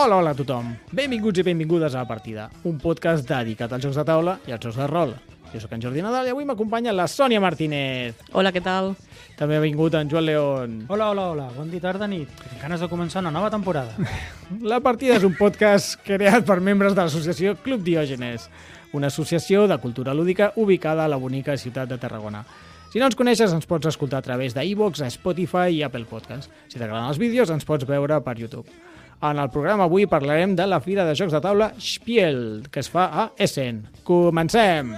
Hola a tothom. Benvinguts i benvingudes a La Partida, un podcast dedicat als jocs de taula i als jocs de rol. Jo sóc en Jordi Nadal i avui m'acompanya la Sònia Martínez. Hola, què tal? També ha vingut en Joan León. Hola. Bon dia, tarda, nit. Tinc ganes de començar una nova temporada. La Partida és un podcast creat per membres de l'associació Club Diògenes, una associació de cultura lúdica ubicada a la bonica ciutat de Tarragona. Si no ens coneixes, ens pots escoltar a través d'iVoox, Spotify i Apple Podcast. Si t'agraden els vídeos, ens pots veure per YouTube. En el programa avui parlarem de la fira de jocs de taula Spiel, que es fa a Essen. Comencem!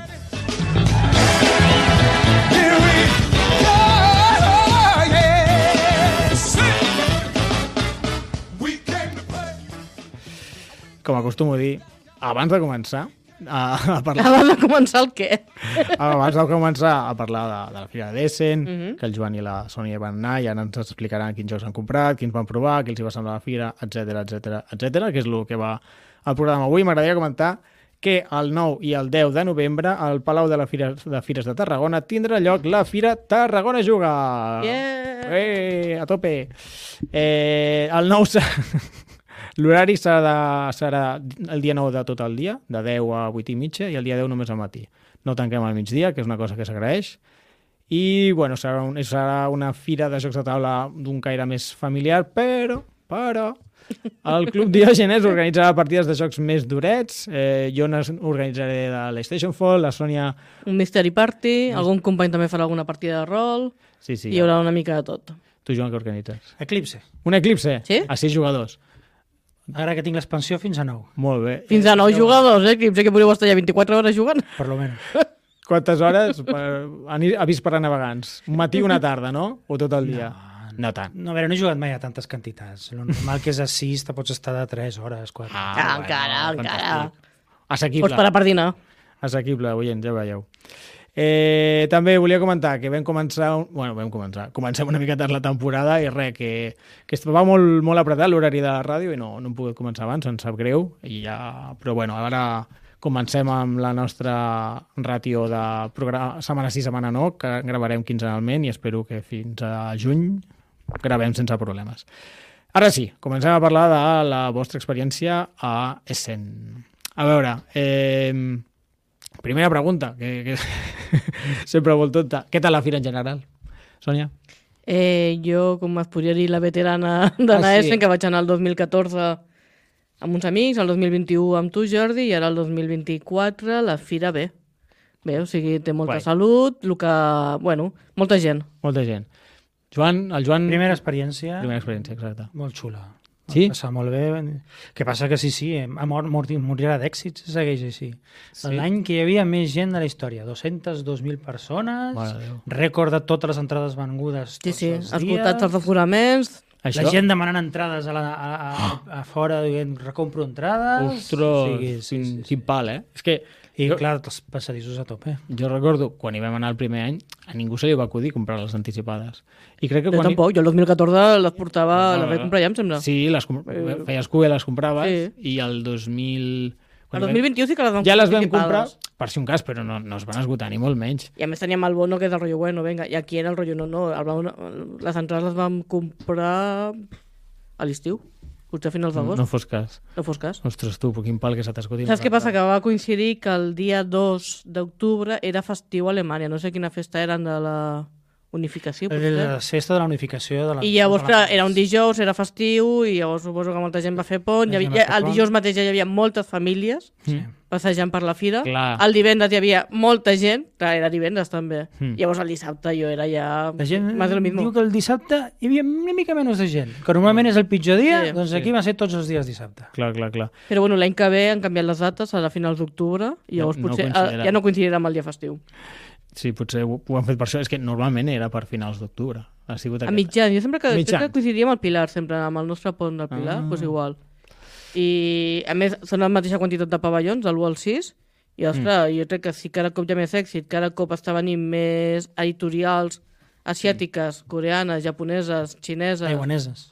Com acostumo a dir, abans de començar a parlar... Abans de començar el què? Abans de començar a parlar de la fira d'Essen, que el Joan i la Sònia van anar i ara ens explicaran quins jocs han comprat, quins van provar, què els hi va semblar la fira, etc, que és el que va al programa avui. M'agradaria comentar que el 9 i el 10 de novembre al Palau de Fires de Tarragona tindrà lloc la Fira Tarragona Juga! Yeah! A tope! El 9... L'horari serà el dia 9 de tot el dia, de 10 a 8 i mitja, i el dia 10 només al matí. No tanquem al migdia, que és una cosa que s'agraeix. I, bueno, serà una fira de jocs de taula d'un caire més familiar, però el Club Diògenes organitzarà partides de jocs més durets. Jo organitzaré de l'Stationfall, la Sònia... Un Mystery Party, algun company també farà alguna partida de rol, Sí, hi haurà una mica de tot. Tu, Joan, què organitzes? Eclipse. Un Eclipse? Sí? A 6 jugadors. Ara que tinc l'expansió fins a 9, Molt bé. Fins a 9 jugadors, Eclipse, que podríeu estar ja 24 hores jugant. per lo menos. Quantes hores? Avís per a navegants. Un matí i una tarda, no? O tot el dia? No tant. No, a veure, no he jugat mai a tantes quantitats. El normal que és a 6, te pots estar de 3 hores, 4. Encara. Fantàstic. Assequible. Pots parar per dinar. Assequible, oients, ja veieu. També volia comentar que comencem una mica tard la temporada i res, que estava molt apretat l'horari de la ràdio i no hem pogut començar abans, em sap greu, però bueno, ara comencem amb la nostra ràtio de programa, setmana sí, setmana no, que gravarem quinzenalment i espero que fins a juny gravem sense problemes. Ara sí, comencem a parlar de la vostra experiència a Essen. A veure, primera pregunta, que sempre molt tonta. Què tal la fira en general, Sònia? Jo, com es podria dir, la veterana d'anar a Essen, que vaig anar el 2014 amb uns amics, el 2021 amb tu, Jordi, i ara el 2024 la fira bé. Bé, o sigui, té molta salut, molta gent. Molta gent. El Joan... Primera experiència, exacte. molt xula. Sí? Passar molt bé. Que passa que sí, morirà d'èxits, segueix així. Sí. L'any que hi havia més gent de la història, 202.000 persones, rècord de totes les entrades vengudes tots els dies. Escoltats els aforaments... La gent demanant entrades a fora, dient, recompro entrades... Ostres, quin pal, eh? És que... I clar, els passadissos a tope. Jo recordo, quan hi vam anar el primer any, a ningú se li va acudir comprar les anticipades. I crec que jo tampoc, jo el 2014 les portava, les vaig comprar ja, em sembla. Sí, feies cua i les compraves, i el 2000... El 2021 sí que les vam ja les vam comprar, per si un cas, però no es van esgotar ni molt menys. I a més teníem el bono que és el rotllo bueno, venga, i aquí era el rotllo no, les entrades les vam comprar a l'estiu. Potser a finals d'agost. No fos cas. Ostres, tu, quin pal que se t'escoti. Saps què passa? Que va coincidir que el dia 2 d'octubre era festiu a Alemanya. No sé quina festa eren de la unificació. La festa de la unificació. I llavors, clar, era un dijous, era festiu, i llavors suposo que molta gent va fer pont. El dijous mateix ja hi havia moltes famílies passejant per la fira. Clar. El divendres hi havia molta gent. Clar, era divendres també. Llavors el dissabte jo era ja... La gent diu que el dissabte hi havia una mica menys de gent. Que normalment és el pitjor dia, doncs aquí va ser tots els dies dissabte. Clar. Però bueno, l'any que ve han canviat les dates a finals d'octubre i llavors potser ja no coincidirà amb el dia festiu. Sí, potser ho han fet per això. És que normalment era per finals d'octubre. A mitjans. Jo sempre que coincidiria amb el Pilar, sempre amb el nostre pont del Pilar, doncs igual. I a més són la mateixa quantitat de pavellons, de l'1 al 6, i ostres, jo crec que sí, cada cop hi ha més èxit, cada cop està venint més editorials asiàtiques, coreanes, japoneses, xineses,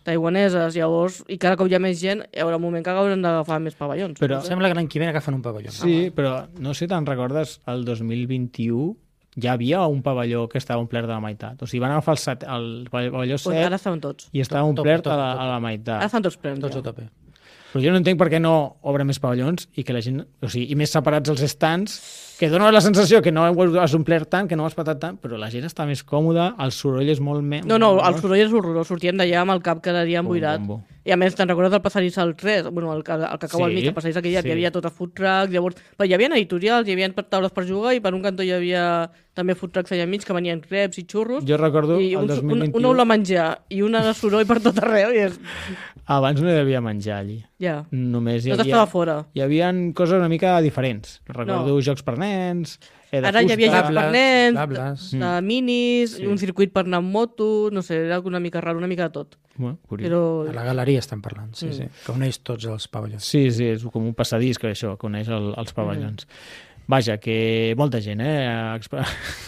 taiwaneses, llavors, i cada cop hi ha més gent, hi haurà un moment que hauran d'agafar més pavellons. Però sembla que l'any que ve agafen un pavelló. Sí, però no sé, te'n recordes, el 2021 ja havia un pavelló que estava omplert de la meitat. O sigui, van agafar el pavelló 7 ara estaven tots. I estava omplert a la meitat. Ara estan tots plens. Tots a tope. Però jo no entenc per què no obre més pavellons i que la gent... O sigui, i més separats els stands, que dona la sensació que no has omplert tant, que no has patat tant, però la gent està més còmoda, el soroll és molt més... No, el soroll és horrorós. Sortíem d'allà amb el cap cada dia emboirat. I a més, te'n recordes del passadís al 3? Bueno, el que acaba al mig, el passadís aquell, hi havia tot a food truck, llavors... Però hi havia editorials, hi havia taules per jugar i per un cantó hi havia també food trucks allà enmig que venien crepes i xurros. Jo recordo i el 2021... una olor a menjar i una de soroll per tot arreu. I és... Abans no hi havia menjar allí. Ja. Només tot estava fora. Hi havia coses una mica diferents. Recordo jocs per nens... Ara hi havia jocs per nens, minis, un circuit per anar amb moto, no sé, era una mica raro, una mica de tot. Però... A la galeria estem parlant, sí. Que uneix tots els pavellons. Sí, és com un passadís que això, que uneix els pavellons. Vaja, que molta gent,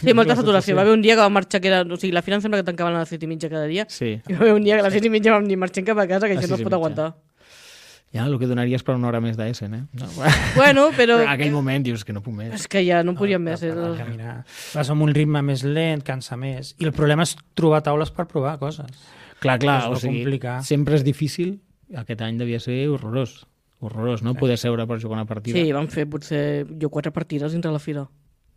Sí, molta saturació. Va haver un dia que va marxar, que era... O sigui, la fira em sembla que tancaven a les 7:30 cada dia. Sí. I va haver un dia que a les 7:30 vam dir marxem cap a casa, que això no es pot aguantar. Ja, el que donaries per una hora més d'Essen, No. Bueno, però... En aquell moment dius que no puc més. És que ja no podíem més. Caminar. Vas amb un ritme més lent, cansa més. I el problema és trobar taules per provar coses. Clar, o sigui, sempre és difícil. Aquest any devia ser horrorós, no? Poder seure per jugar una partida. Sí, vam fer potser 4 partides dintre la fira.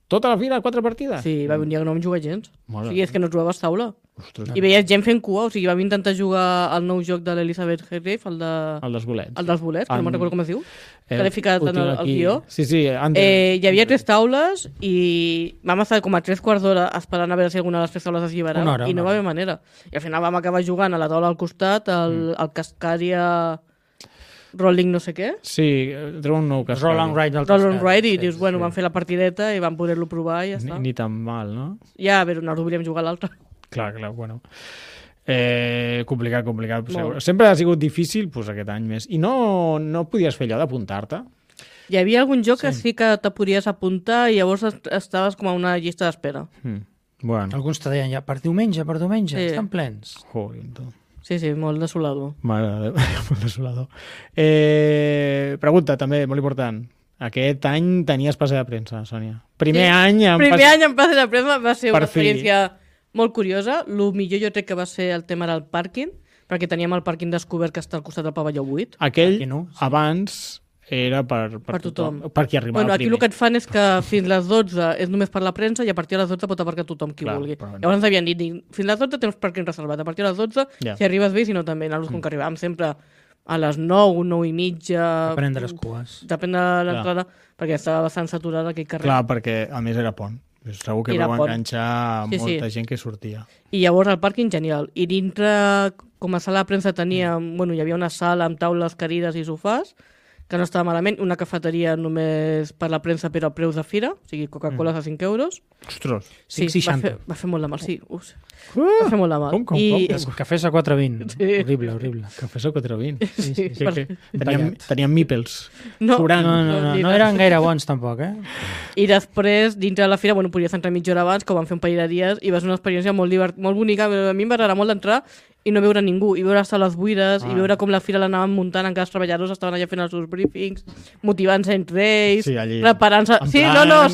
Tota la fira, 4 partides? Sí, va haver un dia que no vam jugar gens. O sigui, és que no jugaves taula. Ostres. I veies gent fent cua, o sigui, vam intentar jugar al nou joc de l'Elizabeth Hargrave, el dels bolets. El dels bolets, que no me'n recordo com es diu, que l'he ficat en el guió. Sí, hi havia 3 taules i vam estar com a 3/4 d'hora esperant a veure si alguna de les 3 taules es lliberava i no va haver manera. I al final vam acabar jugant a la taula al costat, el Cascadia... Rolling no sé què. Sí, treu un nou Cascadia. Roll and Ride i dius, bueno, vam fer la partideta i vam poder-lo provar i ja està. Ni tan mal, no? Ja, però no volíem jugar a l'altre. Clar, bueno. Complicat. Sempre ha sigut difícil, doncs aquest any més. I no podies fer allò d'apuntar-te? Hi havia algun joc que sí que te podies apuntar i llavors estaves com a una llista d'espera. Bueno. Alguns te deien ja, per diumenge, estan plens. Joder, Sí, molt desolador. Mare de Déu, molt desolador. Pregunta, també, molt important. Aquest any tenies passe de premsa, Sònia. Primer any en passe de premsa va ser una experiència molt curiosa. El millor jo crec que va ser el tema del pàrquing, perquè teníem el pàrquing descobert que està al costat del pavelló 8. Aquell, abans... era per tothom. Per qui arribava primer. Aquí el que et fan és que fins les 12 és només per la premsa i a partir de les 12 pot aparcar tothom qui vulgui. Llavors ens havien dit, fins les 12 tens pàrquing reservat, a partir de les 12, si arribes bé, si no també. Nosaltres com que arribàvem sempre a les 9, 9 i mitja... Depenent de les cues. Depèn de l'entrada, perquè estava bastant saturada aquell carrer. Clar, perquè a més era pont. Segur que vau enganxar molta gent que sortia. I llavors el pàrquing genial. I dintre, com a sala de premsa teníem... Bueno, hi havia una sala amb taules, cadires i sofàs, que no estava malament, una cafeteria només per la premsa però a preus de fira, o sigui, Coca-Cola a 5 euros. Ostres, sí, va fer molt de mal, sí. Va fer molt de mal. Com? Cafès a 4,20. Sí. Horrible. Cafès a 4,20. Sí. Teníem mípels. No eren gaire bons tampoc, I després, dintre de la fira, podies entrar mitja hora abans, que ho vam fer un parell de dies, i va ser una experiència molt bonica. A mi em va agradar molt d'entrar i no veure ningú, i veure sales buides, i veure com la fira l'anaven muntant, encara els treballadors estaven allà fent els seus briefings, motivant-se entre ells, preparant-se... Sí,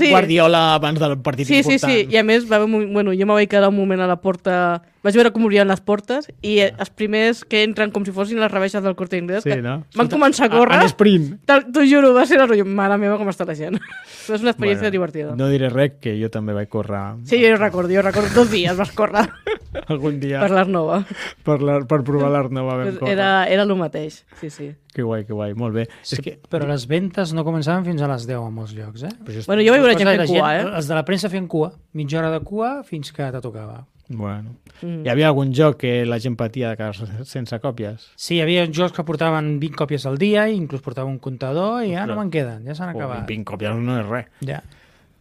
Guardiola abans del partit important. Sí, i a més, jo me vaig quedar un moment a la porta, vaig veure com obrien les portes, i els primers que entren com si fossin les rebaixes del Corte Inglés, que van començar a córrer, en sprint. T'ho juro, va ser el rotllo, mare meva, com està la gent. És una experiència divertida. No diré res, que jo també vaig córrer. Sí, jo recordo 2 dies vas córrer. Algun dia. Per l'Arnova. Per provar l'Arnova vam córrer. Era el mateix, sí. Que guai, molt bé. Però les ventes no començaven fins a les 10 en molts llocs, jo vaig veure gent fent cua, Els de la premsa feien cua, mitja hora de cua fins que te tocava. Bueno. Hi havia algun joc que la gent patia de quedar sense còpies? Sí, hi havia jocs que portaven 20 còpies al dia, i inclús portava un comptador, i ja no me'n queden, ja s'han acabat. 20 còpies no és res. Ja.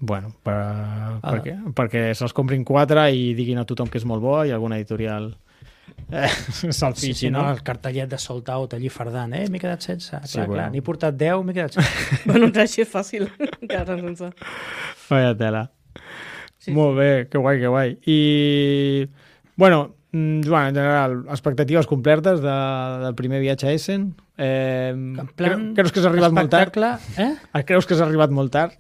Bueno, per què? Perquè se'ls comprin 4 i diguin a tothom que és molt bo i alguna editorial se'l fixi, no? El cartellet de sold out allí fardant, m'he quedat sense. Clar, n'he portat 10, m'he quedat sense. Bueno, així és fàcil, quedar-se'n sense. Vaya tela. Molt bé, que guai. I, bueno, Joan, en general, expectatives complertes del primer viatge a Essen? Creus que s'ha arribat molt tard? Creus que s'ha arribat molt tard?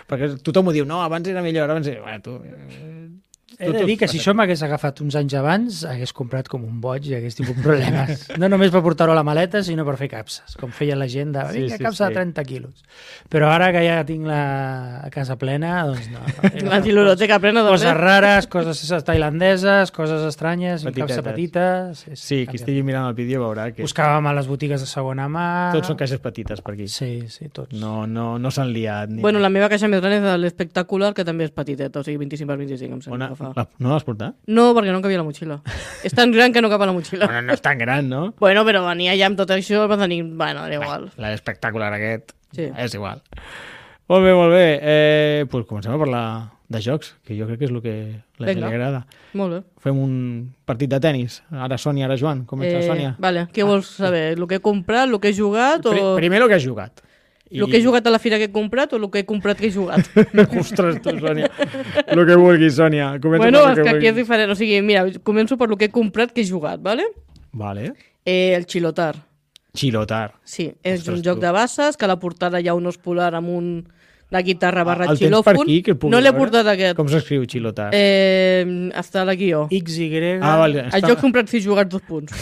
Perquè tothom ho diu, no, abans era millor, abans era... He de dir que si això m'hagués agafat uns anys abans, hagués comprat com un boig i hagués tingut problemes. No només per portar-ho a la maleta, sinó per fer capses, com feia la gent de vinga, capsa de 30 quilos. Però ara que ja tinc la casa plena, doncs no. La biblioteca plena de coses rares, coses tailandeses, coses estranyes, capsa petites. Sí, qui estigui mirant el vídeo veurà que... Buscàvem a les botigues de segona mà... Tots són caixes petites per aquí. Sí, tots. No s'han liat. Bueno, la meva caixa més gran és l'espectacular, que també és petiteta, o sigui, 25x25, em sembla que fa. No l'has portat? No, perquè no cabia la motxilla. És tan gran que no cap a la motxilla. Bueno, no és tan gran, no? Bueno, però venia ja amb tot això, va tenir... Bueno, era igual. L'espectacular aquest sí. És igual. Molt bé. Pues comencem a parlar de jocs, que jo crec que és el que la gent li agrada. Molt bé. Fem un partit de tennis. Ara Sònia, ara Joan. Comença la Sònia. Vale, què vols saber? El que he comprat, el que he jugat o... Primer el que has jugat. El que he jugat a la fira que he comprat o el que he comprat que he jugat? Ostres, tu, Sònia. El que vulguis, Sònia. Bueno, és que aquí és diferent. O sigui, mira, començo per el que he comprat que he jugat, ¿vale? Vale. El Xilotar. Xilotar. Sí, és un joc de bases, que a la portada hi ha un os polar amb la guitarra barra xilòfon. El tens per aquí? No l'he portat aquest. Com s'escriu Xilotar? Està a la guió. XY... vale. El joc comprat si jugat 2 punts.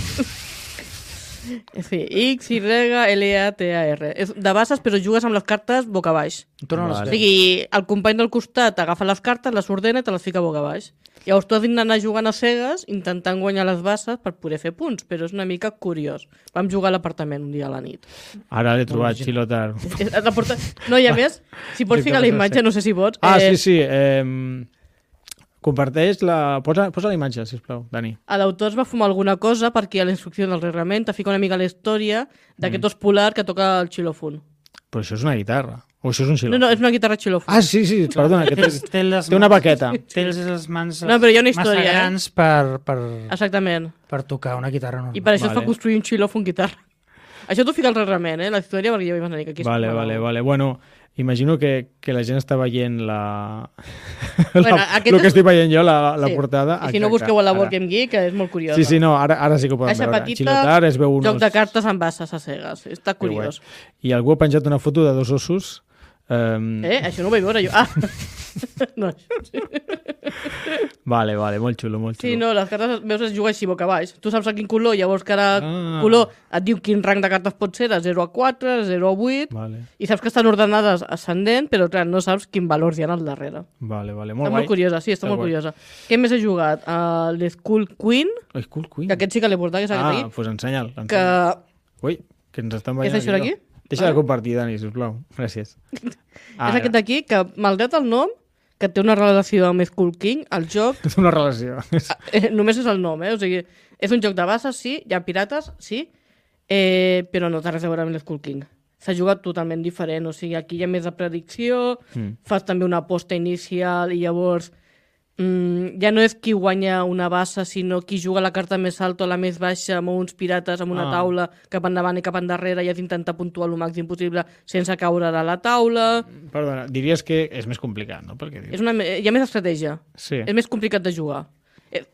Sí, XYLATAR. És de bases, però jugues amb les cartes boca baix. Vale. O sigui, el company del costat agafa les cartes, les ordena i te les fica boca baix. Llavors tu has d'anar jugant a cegues, intentant guanyar les bases per poder fer punts, però és una mica curiós. Vam jugar a l'apartament un dia a la nit. Ara l'he trobat, Xilotar. No, i a més, si pots ficar la imatge, no sé si pots. Sí. Comparteix Posa la imatge, sisplau, Dani. L'autor es va fumar alguna cosa perquè a la instrucció del reglament te fica una mica la història d'aquest os polar que toca el xilòfon. Però això és una guitarra. O això és un xilòfon? No, és una guitarra xilòfon. Ah, sí, perdona, que té una baqueta. Té les mans però hi ha una història, massa grans per... Exactament. Per tocar una guitarra normal. I per això es fa construir un xilòfon guitarra. Això t'ho fica el reglament, la història, perquè jo vaig anar que aquí... Vale. Bueno, imagino que la gent està veient el que estic veient jo, la portada. I si no, busqueu a la Board Game Geek, que és molt curiosa. Sí, no, ara sí que ho podem veure. Caixa petita, joc de cartes amb bases a cegues. Està curiós. I algú ha penjat una foto de 2 ossos. Això no ho vaig veure jo. No, això sí. Vale, molt xulo. Sí, no, les cartes veus es juga així boca baix. Tu saps a quin color, llavors cada color et diu quin rang de cartes pot ser, de 0 a 4, de 0 a 8, i saps que estan ordenades ascendent, però clar, no saps quin valors hi ha al darrere. Vale, molt guai. Està molt curiosa, sí, està molt curiosa. Què més he jugat? L'Skull Queen. Skull Queen? Que aquest sí que l'he portat, que és aquest aquí. Doncs ensenya'l. Ui, que ens estan veient. És això d'aquí? Deixa de compartir, Dani, sisplau. Gràcies. És aquest d'aquí, que malgrat el nom, que té una relació amb Skull King, el joc... És una relació. Només és el nom, O sigui, és un joc de bases, sí, hi ha pirates, sí, però no té res a veure amb l'Skull King. S'ha jugat totalment diferent, o sigui, aquí hi ha més de predicció, fas també una aposta inicial i llavors ja no és qui guanya una base, sinó qui juga la carta més alta o la més baixa amb uns pirates amb una taula cap endavant i cap endarrere i has d'intentar puntuar el màxim possible sense caure de la taula. Perdona, diries que és més complicat, no? Perquè hi ha més estratègia. Sí. És més complicat de jugar.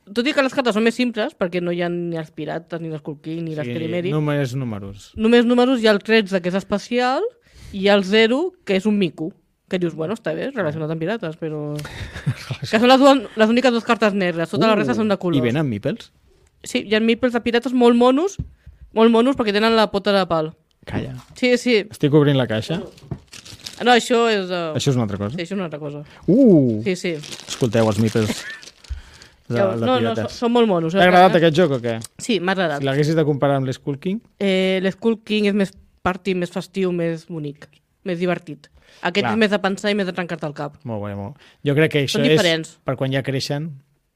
Tot i que les cartes són més simples, perquè no hi ha ni els pirates, ni l'Skull King, ni les Terimeri. Només números. Només números, hi ha el 13, que és especial, i hi ha el 0, que és un mico. Que dius, bueno, està bé, relacionat amb pirates, però... que són les úniques 2 cartes negres, totes les restes són de colors. I venen meeples? Sí, hi ha meeples de pirates molt monos perquè tenen la pota de pal. Calla. Sí. Estic obrint la caixa. No, això és... Això és una altra cosa? Sí, això és una altra cosa. Sí. Sí. Escolteu, els meeples de pirates. Són molt monos. T'ha agradat aquest joc o què? Sí, m'ha agradat. Si l'haguessis de comparar amb l'Skull King? L'Skull King és més party, més festiu, més bonic, més divertit. Aquest és més de pensar i més de trencar-te el cap. Molt bé. Jo crec que això és per quan ja creixen.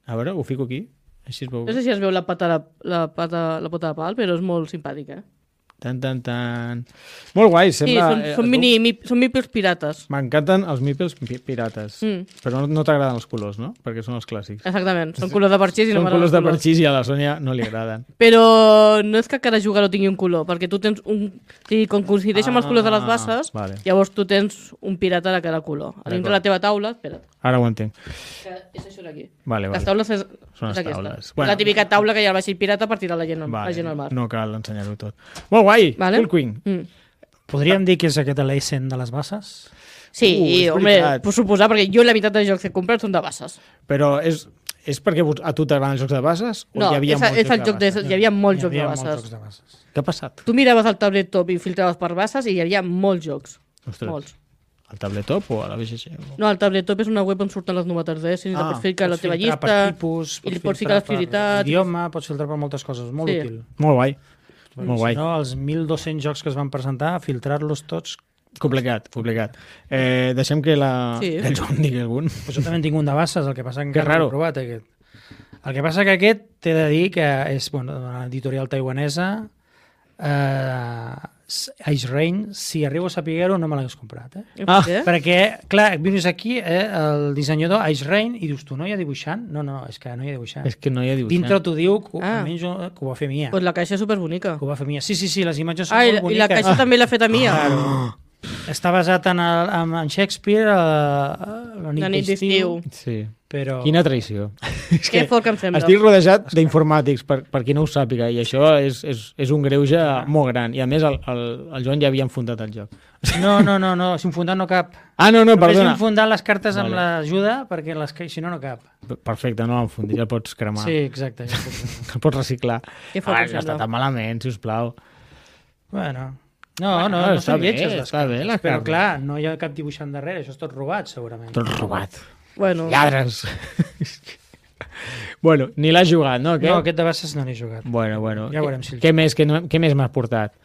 A veure, ho fico aquí. Així es veu. No sé si es veu la pota de pal, però és molt simpàtic, Tan. Molt guai, sembla... Sí, són meeples pirates. M'encanten els meeples pirates. Però no t'agraden els colors, no? Perquè són els clàssics. Exactament, són colors de parxís i no m'agraden els colors. Són colors de parxís i a la Sònia no li agraden. Però no és que cada jugador tingui un color, perquè tu tens un... Sí, com coincideix amb els colors de les bases, llavors tu tens un pirata de cada color. A dintre la teva taula... Espera't. Ara ho entenc. És això d'aquí. Les taules són les taules. La típica taula que hi ha al vaixell pirata per tirar la gent al mar. No cal ensenyar-ho tot. Molt guai, Skull Queen. Podríem dir que és aquest l'Essen de les bases? Sí, home, puc suposar, perquè jo la meitat de jocs que he comprat són de bases. Però És perquè a tu t'agraden els jocs de bases? No, hi havia molts jocs de bases. Què ha passat? Tu miraves el tabletop i filtraves per bases i hi havia molts jocs. Ostres. Molts. Al tabletop o a la BGG? No, el tabletop és una web on surten les novetats d'Destiny, pots ficar la teva llista, i pots ficar les prioritats... Idioma, pots filtrar per moltes coses, molt útil. Molt guai. Molt guai. Si no, els 1.200 jocs que es van presentar, filtrar-los tots... Complicat. Deixem que el Joan digui algun. Pues jo també en tinc un de bases, el que passa que encara no l'he provat, aquest. El que passa que aquest, t'he de dir que és una editorial taiwanesa, Ice Rain, si arribo a saber-ho no me l'hagués comprat. Perquè, clar, vines aquí, el dissenyador Ice Rain, i dius tu, no hi ha dibuixant? No, és que no hi ha dibuixant. És que no hi ha dibuixant. Dintre t'ho diu, almenys que ho va fer Mia. Pues la caixa és superbonica. Que ho va fer Mia. Sí, les imatges són molt boniques. I la caixa també l'ha fet a Mia. Està basat en Shakespeare, la nit d'estiu. Sí. Però... Quina traïció. Que fort que em sembla. Estic rodejat d'informàtics, per qui no ho sàpiga, i això és un greuge molt gran. I a més, el Joan ja havia enfundat el joc. No, si enfundat no cap. No, perdona. Només enfundat les cartes amb l'ajuda, perquè si no cap. Perfecte, no l'enfundis, ja el pots cremar. Sí, exacte. El pots reciclar. Ja està tan malament, sisplau. Bueno... No són lletges les cartes, però clar, no hi ha cap dibuixant darrere, això és tot robat, segurament. Tot robat. Bueno. Lladres. Bueno, ni l'has jugat, no? No, aquest de bases no l'he jugat. Bueno. Ja veurem si Què més m'has portat?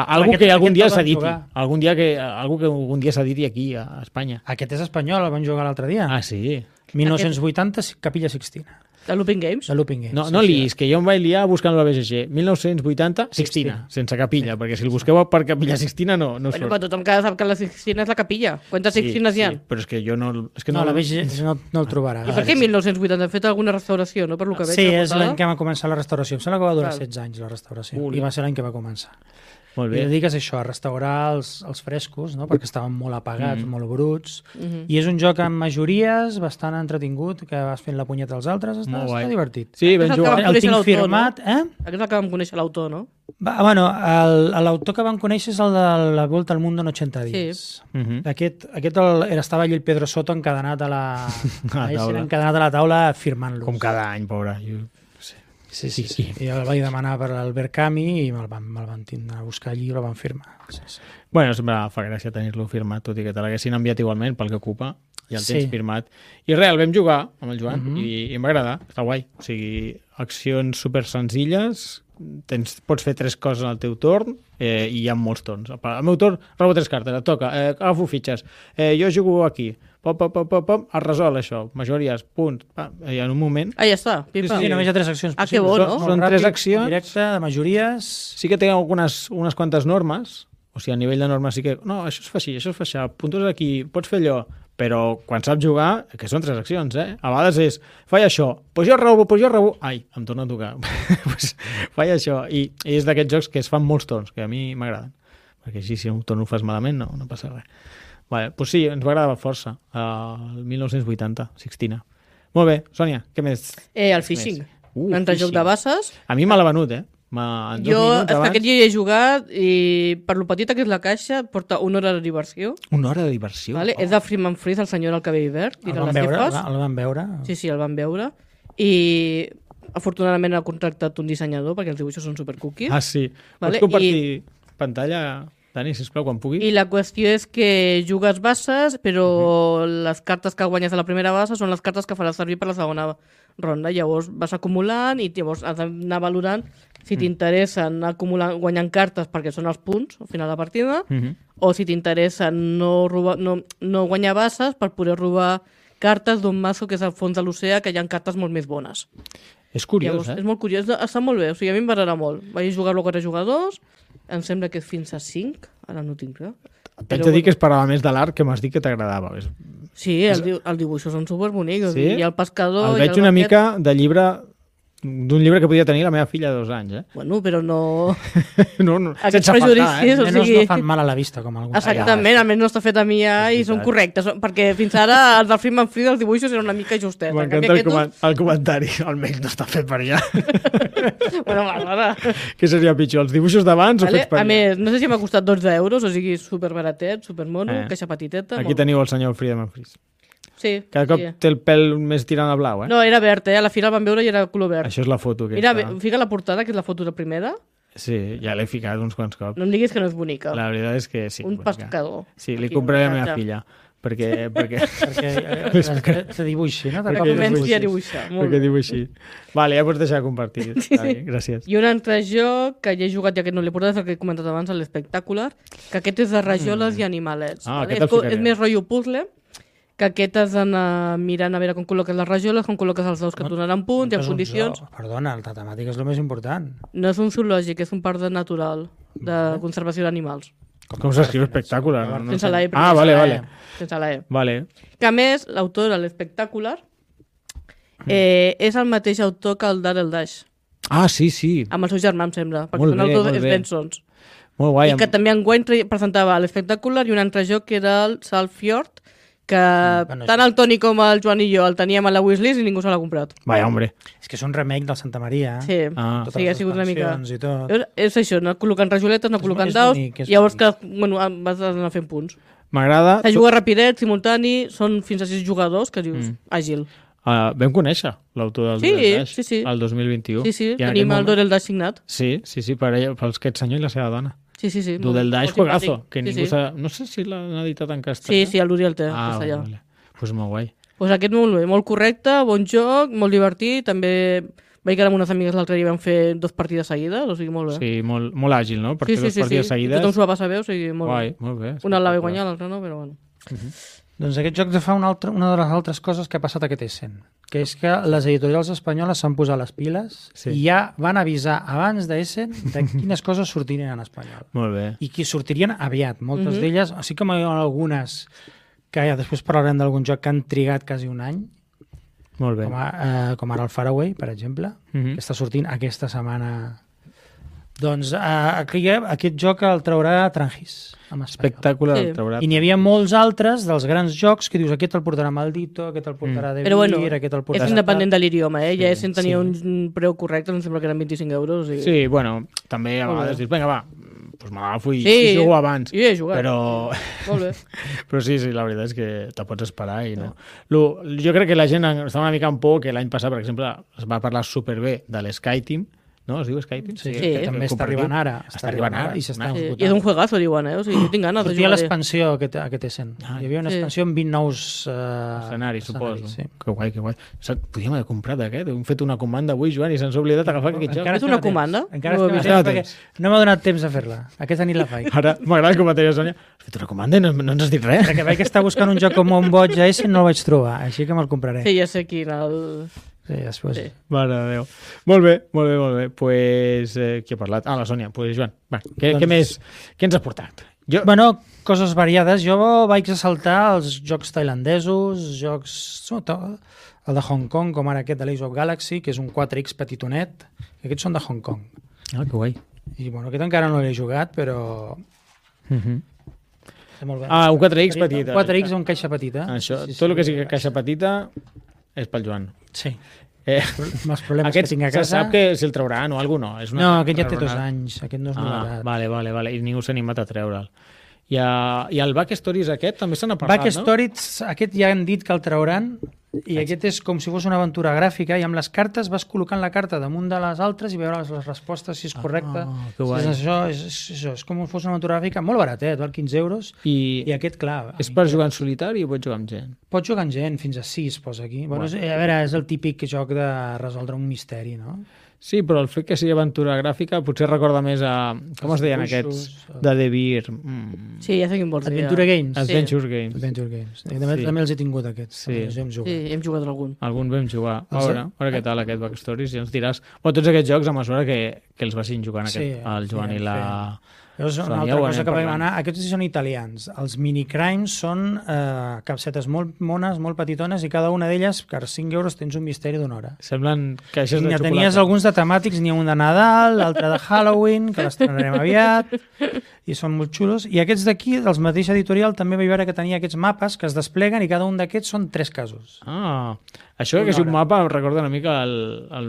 Algú que algun dia s'editi. Algú que algun dia s'editi aquí, a Espanya. Aquest és espanyol, el van jugar l'altre dia. Sí. 1980, Capilla Sixtina. De Looping Games? De Looping Games. No liis, que jo em vaig liar buscant la BGG. 1980, Sixtina, sense capilla, perquè si el busqueu per Capilla Sixtina no surt. Però tothom sap que la Sixtina és la capilla. Quantes Sixtines hi ha? Però és que jo no... No, la BGG no el trobarà. I per què 1980? Han fet alguna restauració, no? Per lo que veig. Sí, és l'any que va començar la restauració. Em sembla que va durar 16 anys, la restauració. I va ser l'any que va començar. Molt bé. I dediques això, a restaurar els frescos, no? Perquè estaven molt apagats, molt bruts. I és un joc amb majories, bastant entretingut, que vas fent la punyeta als altres, està divertit. Sí, ben jugat. El tinc firmat. Aquest és el que vam conèixer l'autor, no? Bueno, l'autor que vam conèixer és el de La Volta al Mundo en 80 dies. Sí. Aquest estava allí el Pedro Soto encadenat a la taula firmant-los. Com cada any, pobre. Sí. I el vaig demanar per l'Albert Camus i me'l van tindre a buscar allí i el van firmar. Sí. Bueno, sempre fa gràcia tenir-lo firmat, tot i que te l'haguessin enviat igualment pel que ocupa, ja el tens firmat. I res, el vam jugar amb el Joan i em va agradar, està guai. O sigui, accions super senzilles, pots fer 3 coses al teu torn i hi ha molts torns. Al meu torn robo 3 cartes, et toca, agafo fitxes, jo jugo aquí, pom, es resol això, majories, punts, i en un moment... Ja està, pipa. Sí, només hi ha 3 accions possibles. Que bo, no? Són 3 accions. Directe, de majories... Sí que té unes quantes normes, o sigui, a nivell de normes sí que... No, això es fa així, això es fa així, puntos aquí, pots fer allò, però quan saps jugar, que són 3 accions, a vegades és, faig això, pues jo robo, ai, em torna a tocar, pues faig això, i és d'aquests jocs que es fan molts torns, que a mi m'agraden, perquè així si un torn ho fas malament no passa res. Vale, doncs sí, ens va agradar força, el 1980, Sixtina. Molt bé, Sònia, què més? El Fishing, un altre joc de bases. A mi me l'ha venut, Jo, aquest dia hi he jugat i per lo petita que és la caixa porta 1 hora de diversió. 1 hora de diversió? Vale? És de Freeman Freeze, el senyor del cabell verd. El van veure? Sí, el van veure. I afortunadament ha contractat un dissenyador perquè els dibuixos són supercookies. Sí. Pots compartir pantalla, Dani, sisplau, quan pugui? I la qüestió és que jugues bases, però les cartes que guanyes a la primera base són les cartes que faràs servir per la segona ronda. Llavors vas acumulant i llavors has d'anar valorant si t'interessa anar guanyant cartes perquè són els punts al final de la partida, o si t'interessa no guanyar bases per poder robar cartes d'un mazo que és al fons de l'oceà, que hi ha cartes molt més bones. És curiós, Llavors, és molt curiós, està molt bé, o sigui, a mi em va agradar molt. Vaig jugar-lo a 4 jugadors, em sembla que és fins a 5, ara no tinc clar. T'haig de dir que esperava més de l'art que m'has dit que t'agradava. Sí, els dibuixos són superbonics. Sí? Hi ha el pescador... El veig una mica de llibre... d'un llibre que podia tenir la meva filla de 2 anys, Bueno, però no... no sense prejudicis, o sigui... no fan mal a la vista, com alguns. Exactament, almenys no està fet a mi i són correctes, perquè fins ara els del Freeman Freeze, els dibuixos eren una mica justets. M'encanta el comentari, almenys no està fet per allà. Bueno, va. Què seria pitjor, els dibuixos d'abans o fets per allà? A més, no sé si m'ha costat 12 euros, o sigui, superbaratet, supermono, caixa petiteta. Aquí teniu el senyor Freeman Freeze. Sí. Cada cop té el pèl més tirant a blau, No, era verd, a la fi el van veure i era color verd. Això és la foto aquesta. Mira, fica la portada, que és la foto de primera. Sí, ja l'he ficat uns quants cops. No em diguis que no és bonica. La veritat és que sí. Un pescador. Sí, li compraré a la meva filla. Perquè te dibuixi, no? Perquè comenci a dibuixar. Perquè dibuixi. Vale, ja pots deixar compartir. Gràcies. I un altre joc que ja he jugat i aquest no l'he portat, és el que he comentat abans, l'Espectacular, que aquest és de rajoles i animalets. És més rotllo puzzle, que aquest has d'anar mirant a veure com col·loques les rajoles, com col·loques els daus que et donaran punts i en condicions. Perdona, la temàtica és el més important. No és un zoològic, és un parc natural de conservació d'animals. Com s'escriu Espectacular? Sense la E. Vale. Sense la E. Vale. Que a més, l'autor de l'Espectacular és el mateix autor que el Daryl Dash. Ah, sí. Amb el seu germà, em sembla, perquè són autors Bensons. Molt guai. I que també enguany presentava l'Espectacular i un altre joc que era el Saltfjord, que tant el Toni com el Joan i jo el teníem a la wishlist i ningú se l'ha comprat. Vaya, hombre. És que és un remake del Santa Maria. Sí, sí, ha sigut una mica... És això, no col·locant rajoletes, no col·locant daus, llavors que vas anar fent punts. M'agrada... Se juga rapidet, simultani, són fins a 6 jugadors, que dius, àgil. Vam conèixer l'autor del Dorel Dash el 2021. Sí, tenim el Dorel Dash signat. Sí, pels aquest senyor i la seva dona. Sí. Del Dash juegazo, que ningú no sé si l'han editat en castellà. Sí, el Luri el té, castellà. Vale. Pues molt guai. Pues aquest molt bé, molt correcte, bon joc, molt divertit, també vaig quedar amb unes amigues l'altre dia i vam fer 2 partides seguides, o sigui, molt bé. Sí, molt àgil, no? Per fer 2 partides seguides. Tothom s'ho va passar bé, o sigui, molt guai, molt bé. Una la va guanyar, l'altra no, però bueno. Doncs aquest joc fa una de les altres coses que ha passat aquest Essen, que és que les editorials espanyoles s'han posat les piles i ja van avisar abans d'Essen de quines coses sortirien en espanyol. Molt bé. I que sortirien aviat. Moltes d'elles, així com hi ha algunes que ja després parlarem d'algun joc que han trigat quasi un any, molt bé. Com ara el Faraway, per exemple, que està sortint aquesta setmana. Doncs aquest joc el traurà Trangis. Espectacular, el traurà. I n'hi havia molts altres dels grans jocs que dius, aquest el portarà Maldito, aquest el portarà De Vir, aquest el portarà... És independent de l'idioma, ja és tenia un preu correcte, em sembla que eren 25 euros. Sí, bueno, també a vegades dius, vinga, va, doncs m'agafo i jugo abans. Sí, he jugat. Però... Molt bé. Però sí, la veritat és que te pots esperar i no. Jo crec que la gent està una mica en por que l'any passat, per exemple, es va parlar superbé de l'Skyteam, no? Es diu Skype? Sí, que també està arribant ara. Està arribant ara. I s'està esgotant. I és un juegazo, diuen, O sigui, tinc ganes de jugar. Sortia l'expansió aquest Essen. Hi havia una expansió amb 20 nous escenaris, suposo. Sí. Que guai. Podríem haver comprat aquest. Hem fet una comanda avui, Joan, i se'ns ha oblidat agafar aquest joc. És una comanda? Encara no m'ha donat temps a fer-la. Aquesta nit la faig. Ara m'agrada com a deia Sònia. Has fet una comanda i no ens has dit res. Perquè vaig estar buscant un joc com un boig a Essen, no el vaig trobar, així que me'l compraré. Sí, ja sé quin, Sí, després. Sí. Mare de Déu. Molt bé. Pues, qui ha parlat? La Sònia. Pues, Joan, va, què més? Què ens ha portat? Bueno, coses variades. Jo vaig saltar els jocs tailandesos, jocs... El de Hong Kong, com ara aquest de l'Ace of Galaxy, que és un 4X petitonet. Aquests són de Hong Kong. Ah, que guai. I, bueno, aquest encara no l'he jugat, però... Molt bé. Un 4X petit. 4X o un caixa petita. Això, tot el que sigui caixa petita... És pel Joan. Sí. Els problemes que tinc a casa... Se sap que si el trauran o alguna cosa, no? No, aquest ja té 2 anys. Aquest no és novetat. Vale. I ningú s'ha animat a treure'l. I el Backstories aquest també se n'ha parlat, Backstories, aquest ja han dit que el trauran i aquest és com si fos una aventura gràfica i amb les cartes vas col·locant la carta damunt de les altres i veure les respostes si és correcta. És com si fos una aventura gràfica molt baratet, val 15 euros i aquest, clar... És per jugar en solitari o pots jugar amb gent? Pots jugar amb gent, fins a 6 posa aquí. Bueno, a veure, és el típic joc de resoldre un misteri, no? Sí, però el fet que sigui aventura gràfica potser recorda més a... Com es deien aquests? De De Vir. Sí, ja sé quin vols dir. Adventure Games. Adventure Games. També els he tingut aquests. Sí, hem jugat algun. Algun vam jugar. A veure què tal aquest Backstories, i ens diràs... Tots aquests jocs a mesura que els vagin jugant el Joan i la... És una altra cosa que vam anar. Aquests són italians. Els minicrimes són capsetes molt mones, molt petitones, i cada una d'elles, per 5 euros, tens un misteri d'una hora. Semblen caixes de xocolata. Tenies alguns de temàtics, n'hi ha un de Nadal, l'altre de Halloween, que l'estrenarem aviat, i són molt xulos. I aquests d'aquí, dels mateix editorial, també vaig veure que tenia aquests mapes que es despleguen i cada un d'aquests són 3 casos. Això que és un mapa em recorda una mica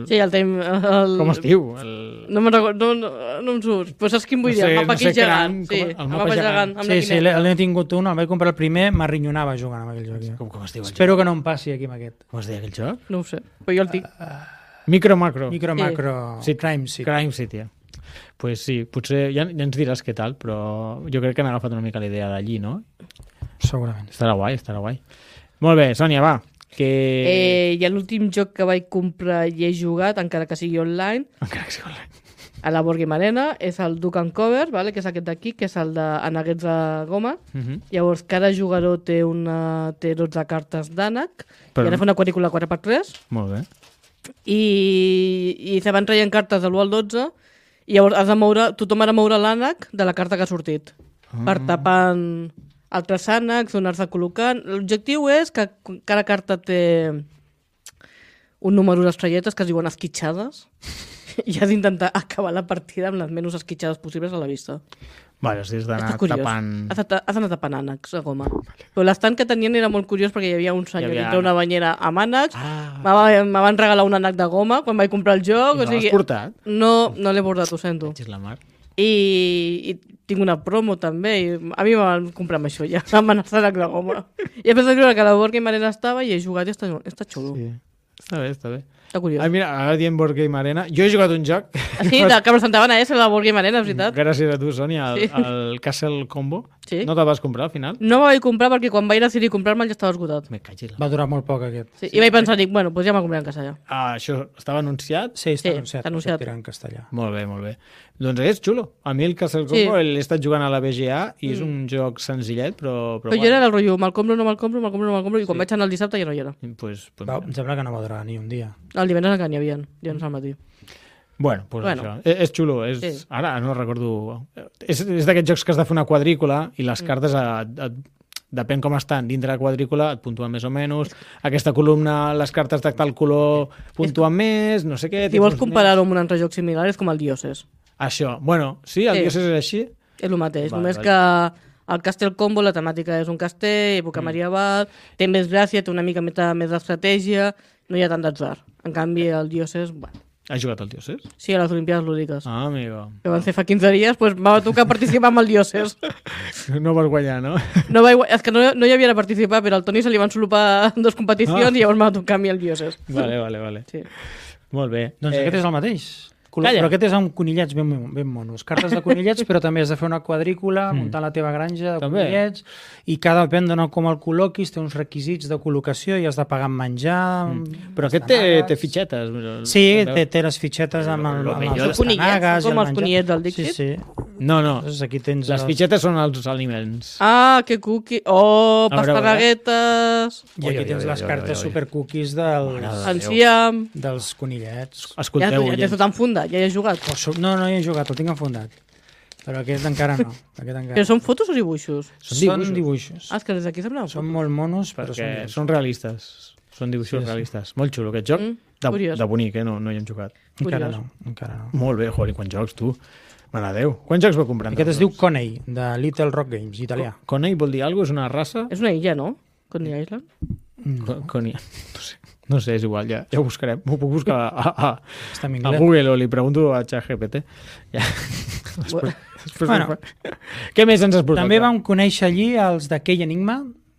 Sí, el temps... Com es diu? No me'n recordo, no em surt. Però saps quin vull dir? El mapa aquell gegant. Sí, el mapa gegant. Sí, l'he tingut un, el vaig comprar el primer, m'arrinyonava jugant amb aquell joc. Com es diu el joc? Espero que no em passi aquí amb aquest. Com es diu aquell joc? No ho sé, però jo el tinc. Micro-macro. Crime City. Crime City. Pues sí, potser ja ens diràs què tal, però jo crec que han agafat una mica la idea d'allí, no? Segurament. Estarà guai. Molt bé, Sònia, va. I l'últim joc que vaig comprar i he jugat, encara que sigui online, a la Board Game Arena, és el Duck and Cover, vale? Que és aquest d'aquí, que és el d'Anaguets de goma. Llavors, cada jugador té 12 cartes d'ànec, i ara fa una quadrícula 4x3. Molt bé. I se van traient cartes de l'1 al 12, i llavors has de moure, tothom ha de moure l'ànec de la carta que ha sortit, per tapant altres ànecs, donar-se col·locant. L'objectiu és que cada carta té un número d'estrelletes que es diuen esquitxades i has d'intentar acabar la partida amb les menys esquitxades possibles a la vista. Vale, o sigui, has d'anar tapant... Has d'anar tapant ànecs a goma. Però l'estant que tenien era molt curiós perquè hi havia un senyor dintre una banyera amb ànecs. Me van regalar un ànec de goma quan vaig comprar el joc. I no l'has portat? No l'he portat, ho sento. I tinc una promo també, i a mi m'han comprat amb això ja, amb ànec de goma. I he pensat que la Board Game Arena estava i he jugat i està xulo. Sí. Està bé. Està curiós. Mira, ara diem Board Game Arena. Jo he jugat un joc... Sí, que presentaven a la Board Game Arena, és veritat. Gràcies a tu, Sònia, el Castle Combo. Sí. No te'l vas comprar al final? No me'l vaig comprar perquè quan vaig decidir comprar-me'l ja estava esgotat. Va durar molt poc aquest. Sí, i vaig pensar, bueno, doncs ja me'l compraré en castellà. Això estava anunciat? Sí, està anunciat. En castellà. Molt bé. Doncs és xulo. A mi el Castle Combo l'he estat jugant a la BGA i és un joc senzillet, però jo era el rotllo, me'l compro, i quan vaig anar el dissabte ja no hi era. Em sembla que no va durar ni un dia. El divendres encara n'hi havia, divendres al matí. Bueno. Això. És xulo. Ara no recordo... És d'aquests jocs que has de fer una quadrícula i les cartes, depèn com estan dintre la quadrícula, et puntuen més o menys. Aquesta columna, les cartes de tal color puntuen més, no sé què... Si vols comparar-ho amb un altre joc similar, és com el Dioses. Això. Bueno, sí, el Dioses és així? És el mateix, només que el Castle Combo, la temàtica és un castell, època medieval, té més gràcia, té una mica més d'estratègia, no hi ha tant d'atzar. En canvi, el Dioses... Has jugat al Dioses? Sí, a les Olimpiades Lúdiques. Amigo. Que van ser fa 15 dies, doncs m'ha tocar participar amb el Dioses. No vas guanyar, no? És que no hi havia de participar, però al Toni se li van solopar 2 competicions i llavors m'ha tocar a mi el Dioses. Vale. Sí. Molt bé. Doncs aquest és el mateix. Però aquest és amb conillets ben monos. Cartes de conillets, però també has de fer una quadrícula, muntar la teva granja de conillets, i cada depèn de com el col·loquis, té uns requisits de col·locació i has de pagar amb menjar... Però aquest té fitxetes. Sí, té les fitxetes amb els conillets, com els conillets del Dixit? Sí. No. Aquí tens les fitxetes són els aliments. Que cookie! Pastarraguetes! I aquí tens les cartes supercookies dels conillets. Escolteu, ja t'ho tan fundat. Ja hi has jugat? No hi he jugat, el tinc enfundat. Però aquest encara no. Però són fotos o dibuixos? Són dibuixos. És que des d'aquí sembla són molt monos, però són realistes. Són dibuixos realistes. Molt xulo aquest joc. De bonic, no hi hem jugat. Encara no. Molt bé, joder, quants jocs, tu. Mare Déu. Quants jocs va comprar? Aquest es diu Coney, de Little Rock Games, italià. Coney vol dir alguna cosa? És una raça? És una illa, no? Coney Island? Coney... No sé, és igual, ja ho buscarem. M'ho puc buscar a Google o li pregunto a ChatGPT. Ja. Què més ens has portat? També vam conèixer allí els de Key Enigma,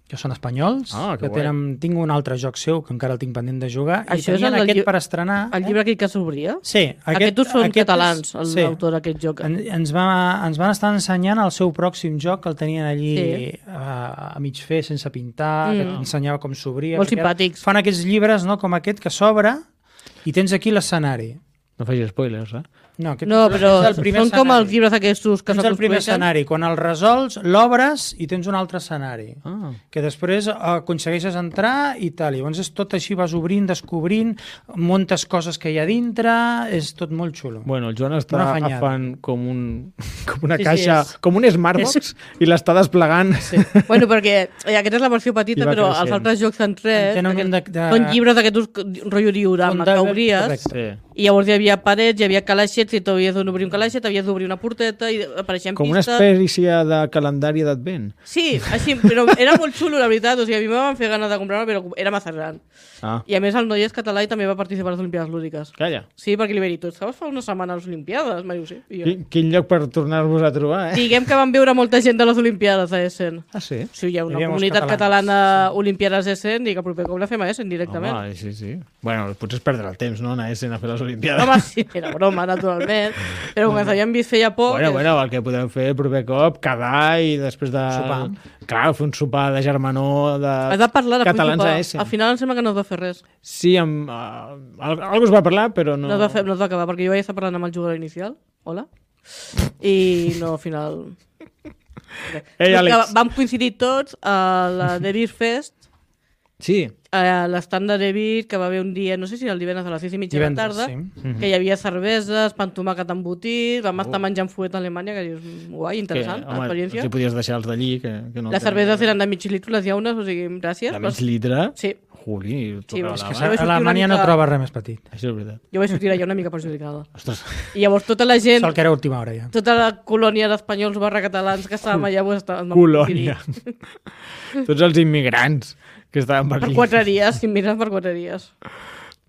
que són espanyols, que tinc un altre joc seu, que encara el tinc pendent de jugar, i tenien aquest per estrenar... El llibre aquell que s'obria? Sí. Aquests són catalans, l'autor d'aquest joc. Ens van estar ensenyant el seu pròxim joc, que el tenien allí a mig fer, sense pintar, que ensenyava com s'obria. Molt simpàtics. Fan aquests llibres, com aquest, que s'obre, i tens aquí l'escenari. No facis spoilers, No, però són com els llibres aquests que és el primer escenari. Quan el resols, l'obres i tens un altre escenari. Que després aconsegueixes entrar i tal. Llavors és tot així, vas obrint, descobrint, muntes coses que hi ha dintre, és tot molt xulo. Bueno, el Joan està agafant com una caixa, com un Smartbox, i l'està desplegant. Bueno, perquè aquesta és la versió petita, però els altres jocs en 3 són llibres d'aquests rotllo diorama que obries, i llavors hi havia havia parets, hi havia calaixets, i t'havies d'obrir un calaixet, havies d'obrir una porteta, i apareixien com pistes. Com una espècie de calendari d'advent. Sí, així, però era molt xulo, la veritat. O sigui, a mi me van fer ganes de comprar-lo, però era massa gran. I a més el noi és català i també va participar a les Olimpiades Lúdiques. Calla. Sí, perquè li vaig dir, tu estaves fa una setmana a les Olimpiades? M'ha dit, sí. Quin lloc per tornar-vos a trobar, Diguem que van veure molta gent de les Olimpiades a Essen. Ah, sí? Sí, hi ha una comunitat catalana Olimpiades a Essen i que proper cop la fem a Essen directament. Home, sí. Bueno, potser és perdre el temps, no?, anar a Essen a fer les Olimpiades. Home, sí, era broma, naturalment. Però com ens havíem vist feia poc... Bueno, el que podem fer el proper cop, quedar i després de... Sopar. Clar, fer un sopar de germanor de catalans a Essen. Al final em sembla que no es va fer res. Sí, algú es va parlar, però no... No es va acabar, perquè jo vaig estar parlant amb el jugador inicial. Hola. I no, al final... Ei, Àlex. Vam coincidir tots a la The Beer Fest. Sí. A l'estand de The Beer, que va haver un dia, no sé si era el divendres a les 6:30 de la tarda, que hi havia cerveses, pa amb tomàquet embotit, vam estar menjant fuet a Alemanya, que dius, guai, interessant, experiència. Si podies deixar els d'allí, que no... Les cerveses eren de mig litre, les llaunes, o sigui, gràcies. De mig litre? Sí. Juli, sí, és que a Alemanya no troba res més petit. Això és veritat. Jo vaig sortir allà una mica perjudicada. Ostres. I llavors tota la gent... Sol que era última hora, ja. Tota la colònia d'espanyols /catalans que estàvem allà... Colònia. Tots els immigrants que estaven per aquí. Per 4 dies, immigrants per 4 dies.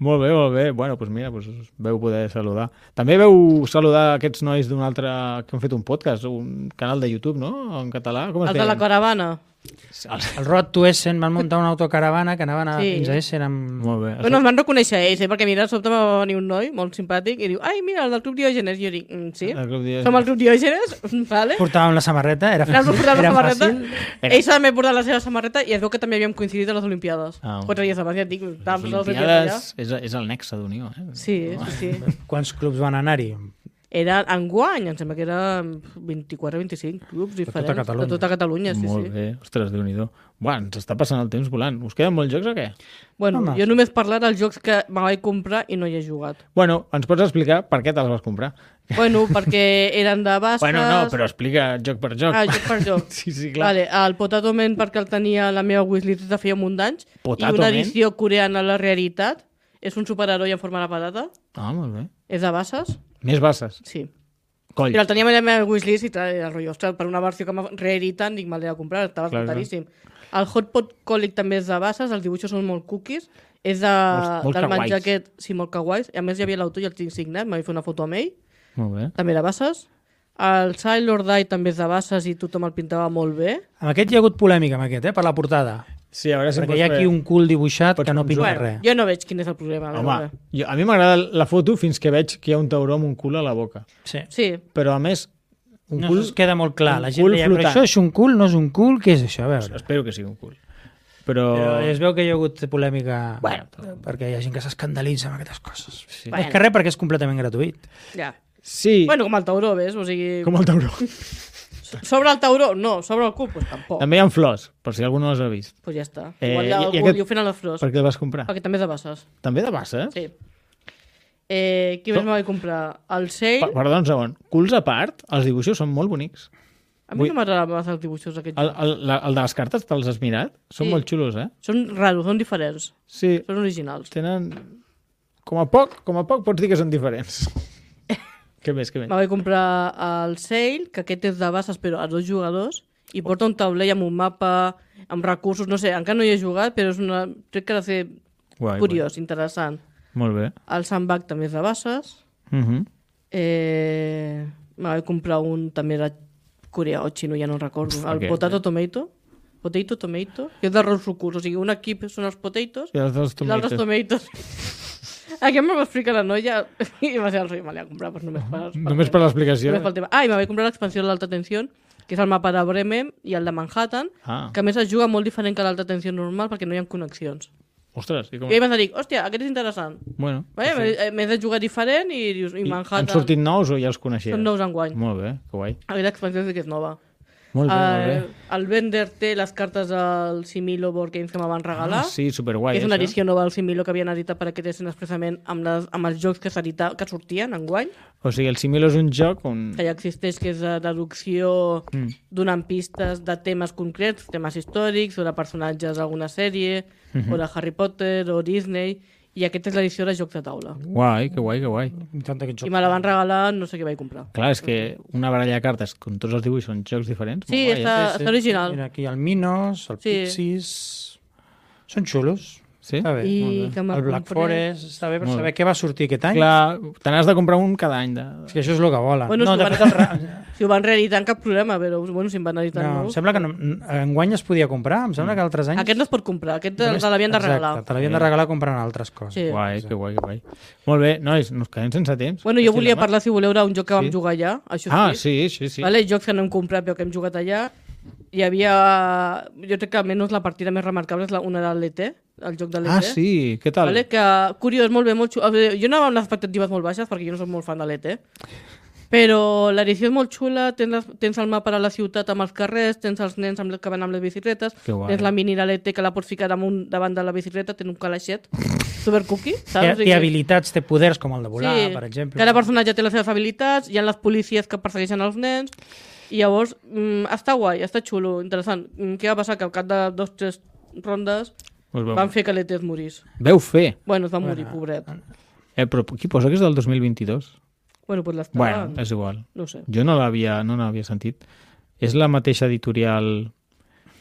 Molt bé. Bueno, doncs mira, veu poder saludar. També veu saludar aquests nois d'un altre... que han fet un podcast, un canal de YouTube, no?, en català. Com es de la caravana. El Road to Essen van muntar una autocaravana que anaven fins a Essen amb... Molt bé. Bueno, em van reconèixer ells, perquè mira, de sobte va venir un noi molt simpàtic i diu, ai, mira, el del Club Diògenes. I jo dic, sí, som el Club Diògenes, vale. Portàvem la samarreta, era fàcil. Ells també portaven la seva samarreta i es veu que també havíem coincidit a les Olimpiades. 4 dies abans, ja et dic, les Olimpiades és el nexe d'unió. Sí. Quants clubs van anar-hi? Era enguany, em sembla que era 24-25 clubs diferents. De tota Catalunya. Sí. Molt bé, ostres, Déu-n'hi-do. Buah, ens està passant el temps volant. Us queden molts jocs o què? Bueno, jo només parlar dels jocs que me vaig comprar i no hi he jugat. Bueno, ens pots explicar per què te'ls vas comprar? Bueno, perquè eren de basses... Bueno, no, però explica joc per joc. Joc per joc. Sí, clar. Vale, el Potato Man perquè el tenia la meva wishlist de feia un munt d'anys. I una edició coreana a la realitat. És un superheroi en forma de patata. Ah, molt bé. És de basses. Més basses? Sí. Coll. Però el teníem a la meva wishlist i el rotllo, ostres, per una versió que m'ha reeditat, dic, me'l he de comprar, estava escoltaríssim. El Hot Pot Colic també és de basses, els dibuixos són molt cookies, és del menjar aquest, sí, molt kawais, a més hi havia l'autor i el tinc signat, m'havia fet una foto amb ell, molt bé. També de basses. El Sailor Die també és de basses i tothom el pintava molt bé. Amb aquest hi ha hagut polèmica, amb aquest, per la portada. Sí, a veure si perquè hi ha aquí un cul dibuixat que no pinta res. Jo no veig quin és el problema. Home, a mi m'agrada la foto fins que veig que hi ha un tauró amb un cul a la boca. Sí. Però a més... No es queda molt clar. La gent deia, però això és un cul, no és un cul, què és això? A veure. Espero que sigui un cul. Però es veu que hi ha hagut polèmica perquè hi ha gent que s'escandalitza amb aquestes coses. Sí. És que res, perquè és completament gratuït. Ja. Sí. Bueno, com el tauró, ves? O sigui... Com el tauró. Sobre el tauró? No. Sobre el cul? Pues tampoc. També hi ha flors, per si algú no les ha vist. Pues ja està. Igual li ho fent a les flors. Per què el vas comprar? Perquè també és de basses. També de basses? Sí. Qui més me vaig comprar? El Sail. Perdó, un segon. Culs a part, els dibuixos són molt bonics. A mi no m'agraden massa els dibuixos d'aquest joc. El de les cartes, te'ls has mirat? Són molt xulos, eh? Són raros, són diferents. Sí. Són originals. Tenen... Com a poc pots dir que són diferents. Què més? Me vaig comprar el Sail, que aquest és de basses però a 2 jugadors, i porta un taulell amb un mapa, amb recursos, no sé, encara no hi he jugat, però crec que ha de ser curiós, interessant. Molt bé. El Sandbag també és de basses. Me vaig comprar un també de Corea o xino, ja no recordo. El Potato Tomato, que és d'arròs sucurs, o sigui, un equip són els potatoes i l'altre els tomatoes. Aquest me va explicar la noia i va ser el rei, me l'he comprat només per l'explicació. I me vaig comprar l'expansió de l'Alta Tensió, que és el mapa de Bremen i el de Manhattan, que a més es juga molt diferent que l'Alta Tensió normal perquè no hi ha connexions. Ostres, i com... I vaig dir, hòstia, aquest és interessant. Bueno, m'he de jugar diferent i dius, i Manhattan... Han sortit nous o ja els coneixies? Són nous enguany. Molt bé, que guai. Aquesta expansió sí que és nova. Molt bé. El Bender té les cartes del Similo Board Games que me van regalar. Sí, superguai. És una edició nova del Similo que havien editat per aquest Essen expressament amb els jocs que sortien enguany. O sigui, el Similo és un joc on... que ja existeix, que és de deducció donant pistes de temes concrets, temes històrics o de personatges d'alguna sèrie, o de Harry Potter o Disney, i aquesta és l'edició de jocs de taula. Guai, que guai, que guai. I me la van regalar, no sé què vaig comprar. Clar, és que una baralla de cartes amb tots els dibuixos són jocs diferents. Sí, està original. Mira, aquí el Minos, el Pixies... Són xulos. Sí? Està bé, el Black Forest, està bé per saber què va sortir aquest any. Clar, te n'has de comprar un cada any. És que això és el que volen. Bueno, si ho van reeditant, cap problema, però bueno, si em van editant nous... Sembla que enguany es podia comprar, em sembla que altres anys... Aquest no es pot comprar, aquest te l'havien de regalar. Exacte, te l'havien de regalar comprant altres coses. Sí. Guai, que guai, que guai. Molt bé, nois, nos quedem sense temps. Bueno, jo volia parlar, si voleu, d'un joc que vam jugar allà. Sí. Vale, jocs que no hem comprat però que hem jugat allà. Hi havia... Jo crec que almenys la partida més remarcable és una de l'ET, el joc de l'ET. Ah, sí? Què tal? Vale, que curiós, molt bé, molt xulo. Jo anava amb les expectatives molt baixes perquè jo no soc molt fan de l'ET. Però l'edició és molt xula, tens el mapa a la ciutat amb els carrers, tens els nens que van amb les bicicletes, tens la mini de l'ET que la pots ficar davant de la bicicleta, tens un calaixet super cookie, saps? Té habilitats, té poders com el de volar, per exemple. Cada personatge té les seves habilitats, hi ha les policies que persegueixen els nens, i llavors està guai, està xulo, interessant. Què va passar? Que al cap de 2 o 3 rondes van fer que l'ET es morís. Veu fer? Bueno, es va morir, pobret. Però qui posa que és del 2022? Bueno, pues bueno, és igual. No sé. Jo no l'havia sentit. És la mateixa editorial...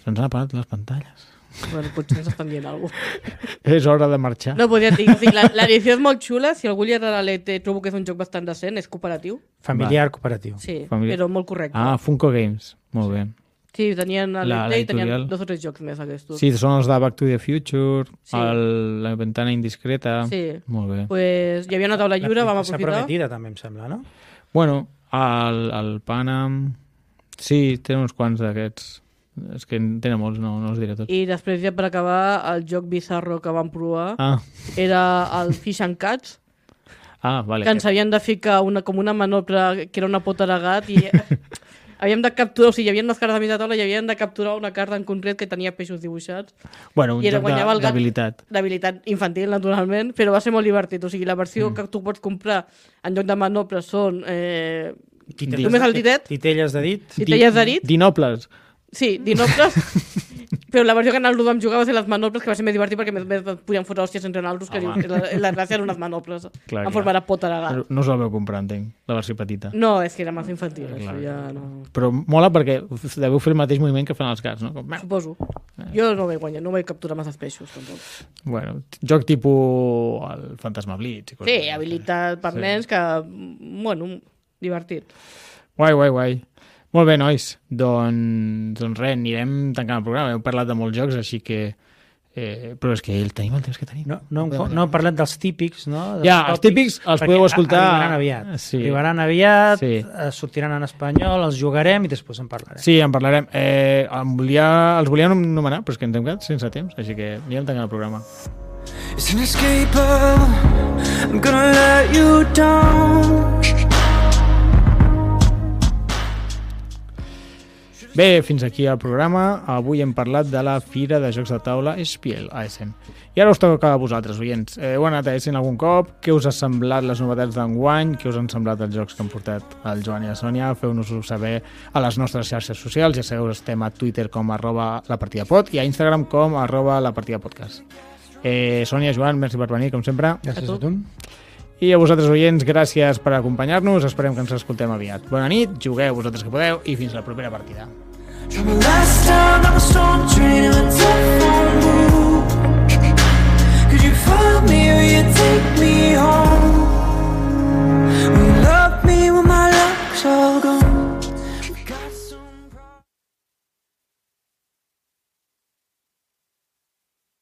Se'ns han apagat les pantalles. Bueno, potser ens estan dient alguna cosa. És hora de marxar. No, podria dir. L'edició és molt xula. Si algú li agrada l'ET, trobo que és un joc bastant decent. És cooperatiu. Familiar, cooperatiu. Sí, però molt correcte. Ah, Funko Games. Molt bé. Sí, tenien l'ET i tenien 2 o 3 jocs més aquests. Sí, són els de Back to the Future, la ventana indiscreta. Sí. Molt bé. Pues hi havia una taula lliure, vam aprofitar. La prometida també, em sembla, no? Bueno, el Panam... Sí, té uns quants d'aquests. És que en tenen molts, no els diré tots. I després, ja per acabar, el joc bizarro que vam provar era el Fish and Cats, vale. que ens havien de ficar com una manopla que era una pota de gat i havíem de capturar, o sigui, hi havia unes cartes de mitja taula i havien de capturar una carta en concret que tenia peixos dibuixats. Bueno, un joc d'habilitat. D'habilitat infantil, naturalment, però va ser molt divertit. O sigui, la versió que tu pots comprar en lloc de manoples són només el ditet. Titelles de dit. Titelles de dit. Dinoples. Sí, dinoples. Però la versió que nosaltres vam jugar va ser les manoples, que va ser més divertit perquè més podíem fotre hòsties entre nosaltres, que la gràcia eren unes manoples en forma de pota de gat. No us la veu comprar, entenc, la versió petita. No, és que era massa infantil. Però mola perquè deveu fer el mateix moviment que fan els gats, no? Suposo. Jo no vaig guanyar, no vaig capturar massa peixos, tampoc. Bueno, joc tipus el Fantasma Blitz. Sí, habilitat per nens que, bueno, divertit. Guai. Molt bé, nois. Doncs res, anirem tancant el programa. Hem parlat de molts jocs, així que... però és que tenim el temps que tenim. No hem parlat dels típics, no? Els típics els podeu escoltar... Arribaran aviat. Sí. Arribaran aviat, sortiran en espanyol, els jugarem i després en parlarem. Sí, en parlarem. Els volíem anomenar, però és que ens hem quedat sense temps, així que anirem tancant el programa. It's inescapable, I'm gonna let you down. Bé, fins aquí el programa. Avui hem parlat de la Fira de Jocs de Taula Spiel a Essen. I ara us toca a vosaltres, oients. Heu anat a Essen algun cop? Què us ha semblat les novetats d'enguany? Què us han semblat els jocs que han portat el Joan i la Sònia? Feu-nos-ho saber a les nostres xarxes socials. Ja sabeu, estem a Twitter com @lapartidapod i a Instagram com @lapartidapodcast. Sònia, Joan, merci per venir, com sempre. Gràcies a tu. I a vosaltres, oients, gràcies per acompanyar-nos. Esperem que ens escoltem aviat. Bona nit, jugueu vosaltres que podeu i fins la propera partida. Last time I was storm train and a telephone booth. Could you find me or you